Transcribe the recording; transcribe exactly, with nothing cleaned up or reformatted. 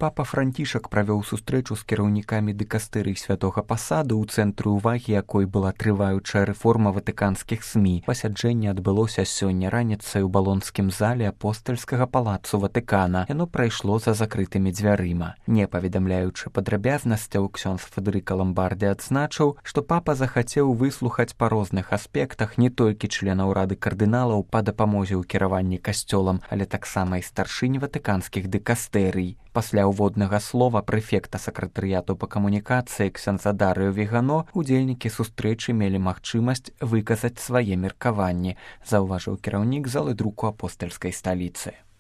Папа Францішак правёў сустрэчу з кіраўнікамі дыкастэрый святога пасаду, у цэнтры ўвагі якой была трываючая рэформа ватыканскіх СМІ. Пасяджэнне адбылося сёння раніцай у балонскім зале апостальскага палацу Ватыкана. Яно прайшло за закрытымі дзвярыма. Не паведамляючы падрабязнасцяў, ксёндз Федэрыка Ламбарді адзначыў, што папа захацеў выслухаць па розных аспектах не толькі членаў рады кардыналаў па дапамозе ў кіраванні касцёлам, але таксама і старшынь ватыканскіх дыкастэрый. Пасля ўводнага слова прэфекта сакратарыяту па камунікацыі ксяндза Дарыо Вегано удзельнікі сустрэчы мелі магчымасць выказаць свае меркаванні, заўважыў кіраўнік залы друку апостальскай сталіцы.